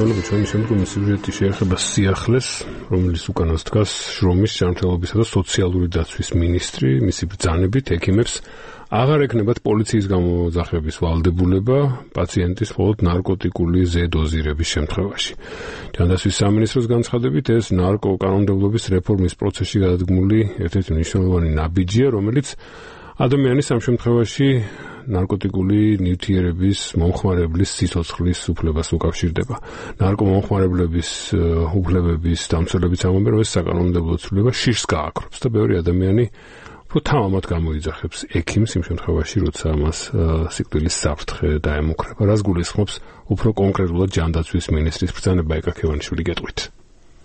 მოგესალმებით, ჩვენი შემდგომი სიუჟეტი შეეხება სიახლეს, რომელიც უკანას დგას შრომის, ჯანმრთელობისა და სოციალური დაცვის მინისტრი, მისი ბრძანებით ექიმებს აღარ ექნებათ პოლიციის გამოძახების ვალდებულება პაციენტის მხოლოდ ნარკოტიკული ზედოზირების შემთხვევაში. ჯანდაცვის სამინისტროს განცხადებით, ეს ნარკოკანონმდებლობის რეფორმის პროცესში გადადგმული ერთ-ერთი მნიშვნელოვანი ნაბიჯია, რომელიც ადამიანის ამ შემთხვევაში ნარკოტიკული ნივთიერების მომხმარებლის სიცოცხლის უფლებას უკავშირდება. ნარკომომხმარებლების უფლებების დამცველებიც ამბობენ, რომ ეს საკანონმდებლო ცვლილება შიშს გააქრობს და ბევრი ადამიანი თამამად გამოიძახებს ექიმს იმ შემთხვევაში, როცა მას სიკვდილის საფრთხე დაემუქრება. რას გულისხმობს უფრო კონკრეტულად ჯანდაცვის მინისტრის ბრძანება ეკაქევანიშვილი გეტყვით.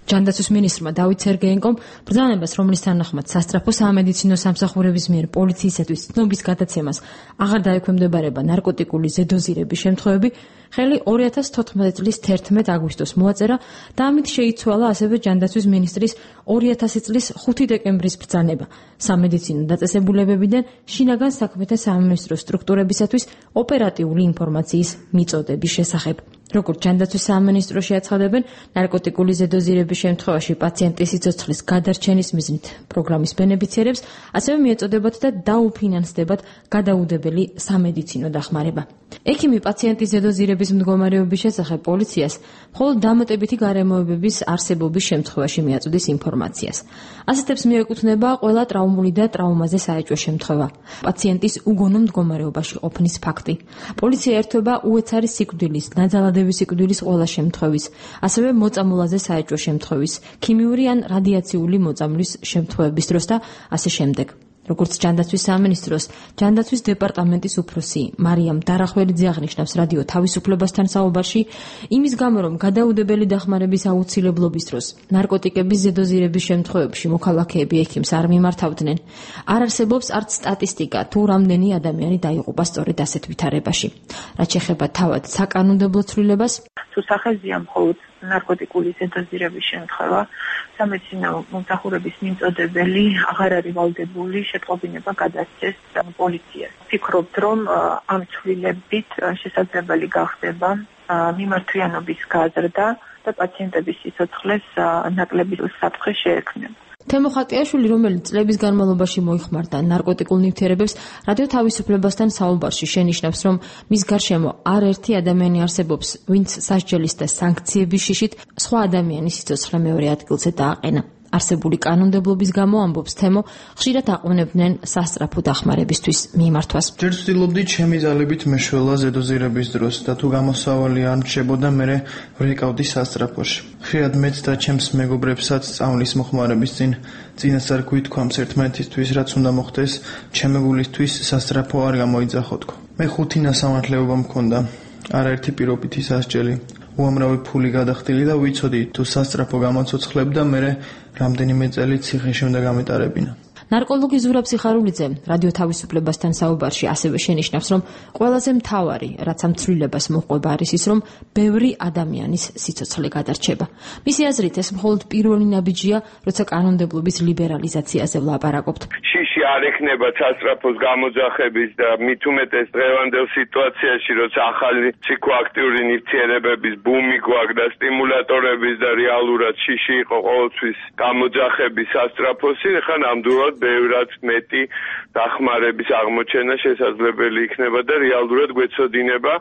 ჯანდაცვის მინისტრმა დავით სერგეენკომ ბრძანებას, რომლის თანახმად სასწრაფო სამედიცინო სამსახურების მიერ პოლიციისათვის ცნობის გადაცემას აღარ დაექვემდებარება ნარკოტიკული ზედოზირების შემთხვევები, ხელი 2014 წლის 11 აგვისტოს მოაწერა და ამით შეიცვალა ასევე ჯანდაცვის მინისტრის 2000 წლის 5 დეკემბრის ბრძანება სამედიცინო დაწესებულებებიდან შინაგან საქმეთა სამინისტროს სტრუქტურებისათვის ოპერატიული ინფორმაციის მიწოდების შესახებ. როგორც ჯანდაცვის სამინისტროში აცხადებენ, ნარკოტიკული ზედოზირების შემთხვევაში პაციენტის სიცოცხლის გადარჩენის მიზნით პროგრამის ბენეფიციარებს ასევე მიეწოდებათ და დაუფინანსდებათ გადაუდებელი სამედიცინო დახმარება. ექიმი პაციენტის ზედოზირების მდგომარეობის შესახებ პოლიციას მხოლოდ დამატებითი გარემოებების არსებობის შემთხვევაში მიაწოდის ინფორმაციას. ასეთებს მიეკუთვნება ყველა ტრაუმული და ტრაუმაზე საეჭვო შემთხვევა, პაციენტის უგონო მდგომარეობაში ყოფნის ფაქტი. პოლიცია ერთვება უეცარი სიკვდილის, ნაძალადების სიკვდილის ყველა შემთხვევის, ასევე მოწამულაზე საეჭვო შემთხვევის, ქიმიური ან რადიაციული მოწამვლის შემთხვევების დროს და ასე შემდეგ. როგორც ჯანდაცვის სამინისტროს ჯანდაცვის დეპარტამენტის უფროსი მარიამ დარახველიძე აღნიშნავს რადიო თავისუფლებასთან საუბარში, იმის გამო, რომ გადაუდებელი დახმარების აუცილებლობის დროს ნარკოტიკების ზედოზირების შემთხვევებში მოქალაქეები ექიმს არ მიმართავდნენ, არ არსებობს არც სტატისტიკა, თუ რამდენი ადამიანი დაიღუპა სწორედ ასეთ ვითარებაში. რაც შეეხება თავად საკანონმდებლო ცვლილებას, თუ სახეზია მხოლოდ ნარკოტიკული ზედოზირების შემთხვევა, სამედიცინო მომსახურების მიმწოდებელი აღარ არის ვალდებული შეტყობინება გადასცეს პოლიციას. ვფიქრობთ, რომ ამ ცვლილებით შესაძლებელი გახდება მიმართვიანობის გაზრდა და პაციენტების სიცოცხლეს ნაკლები საფრთხე შეექმნება. თემო ხატიაშვილი, რომელიც წლების განმავლობაში მოიხმარდა ნარკოტიკულ ნივთიერებებს, რადიო თავისუფლებასთან საუბარში შენიშნავს, რომ მის გარშემო არაერთი ადამიანი არსებობს, ვინც სასჯელის და სანქციების შიშით სხვა ადამიანის სიცოცხლე მეორე ადგილზე დააყენა. არსებული კანონმდებლობის გამო, ამბობს თემო, ხშირად აყვნებდნენ სასწრაფო დახმარებისთვის მიმართვას. ჯერ ვცდილობდი ჩემი ძალებით მეშველა ზედოზირების დროს და თუ გამოსავალი არ მრჩებოდა, მერე ვრეკავდი სასწრაფოში. ხშირად მეც და ჩემს მეგობრებსაც სწავლის მოხმარების წინასწარ გვითქვამს ერთმანეთისთვის, რაც უნდა მოხდეს, ჩემეგულისთვის სასწრაფო არ გამოიძახოთქო. მე 5 ნასამართლეობა მქონდა, არაერთი პირობითი სასჯელი. უამრავი ფული გადახდილი და ვიცოდი თუ სასწრაფო გამოცოცხლებ და მერე რამდენიმე წელი ციხეში უნდა გამეტარებინა. ნარკოლოგი ზურაბ სიხარულიძე რადიო თავისუფლებასთან საუბარში ასევე შენიშნავს, რომ ყველაზე მთავარი, რაც ამ ცვლილებას მოჰყვება, არის ის, რომ ბევრი ადამიანის სიცოცხლე გადარჩება. მისი აზრით, ეს მხოლოდ პირველი ნაბიჯია, როცა კანონმდებლობის ლიბერალიზაციაზე ვლაპარაკობთ. შიში არ ექნება სასწრაფოს გამოძახების და მით უმეტეს დღევანდელ სიტუაციაში, როცა ახალი ფსიქოაქტიური ნივთიერებების ბუმი გვაქვს და სტიმულატორების და რეალურად შიში იყო ყოველთვის გამოძახების სასწრაფოსი, ხან ამდურად ბევრად მეტი დახმარების აღმოჩენა შესაძლებელი იქნება და რეალურად გვეცოდინება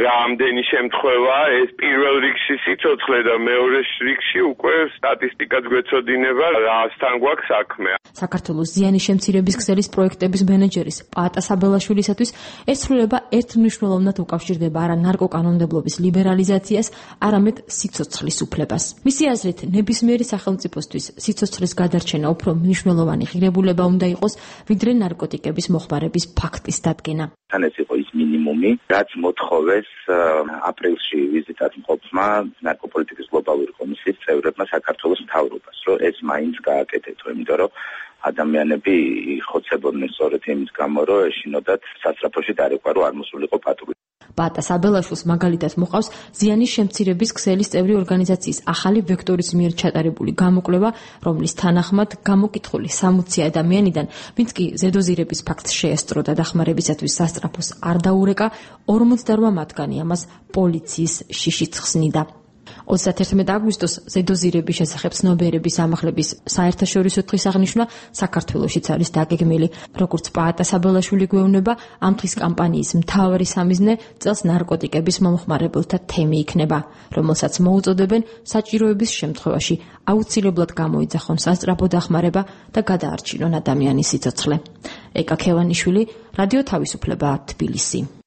რამდენი შემთხვევა ეს პირველ რიგში სიცოცხლე და მეორე რიგში უკვე სტატისტიკაც გვეცოდინება რასთან გვაქვს საქმე. საქართველოს ზიანის შემცირების ქსელის პროექტების მენეჯერის პაატა საბელაშვილისათვის ეს ცვლილება ერთმნიშვნელოვნად უკავშირდება არა ნარკოკანონმდებლობის ლიბერალიზაციას, არამედ სიცოცხლის უფლებას. მისი აზრით, ნებისმიერი სახელმწიფოსთვის სიცოცხლის გადარჩენა უფრო მნიშვნელოვანი ღირებულება უნდა იყოს, ვიდრე ნარკოტიკების მოხმარების ფაქტის დადგენა. თან ეს იყო ის მინიმუმი, რაც მოთხოვეს აპრილში ვიზიტად მყოფმა ნარკოპოლიტიკის გლობალური კომისიის წევრებმა საქართველოს მთავრობას, რომ ეს მაინც გააკეთეთო, იმიტომ რომ ადამიანები იხოცებოდნენ სწორედ იმის გამო, რომ ეშინოდათ სასწრაფოში დარეკვა, რომ არ მოსულიყო პატრულა. პაატა საბელაშვილს მაგალითად მოყავს ზიანის შემცირების ქსელის წევრი ორგანიზაციის ახალი ვექტორის მიერ ჩატარებული გამოკვლევა, რომლის თანახმად გამოკითხული 60 ადამიანიდან, ვინც კი ზედოზირების ფაქტს შეესწრო და დახმარებისათვის სასწრაფოს არ დაურეკა, 48 მათგანი ამას პოლიციის შიშით ხსნიდა. 31 აგვისტოს ზედოზირების შესახებ ცნობიერების ამაღლების საერთაშორისო დღის აღნიშვნა საქართველოშიც არის დაგეგმილი. როგორც პაატა საბელაშვილი გვეუბნება, ამ დღის კამპანიის მთავარი სამიზნე წელს ნარკოტიკების მომხმარებელთა თემი იქნება, რომელსაც მოუწოდებენ საჭიროების შემთხვევაში აუცილებლად გამოიძახონ სასწრაფო დახმარება და გადაარჩინონ ადამიანის სიცოცხლე. ეკა ქევანიშვილი, რადიო თავისუფლება, თბილისი.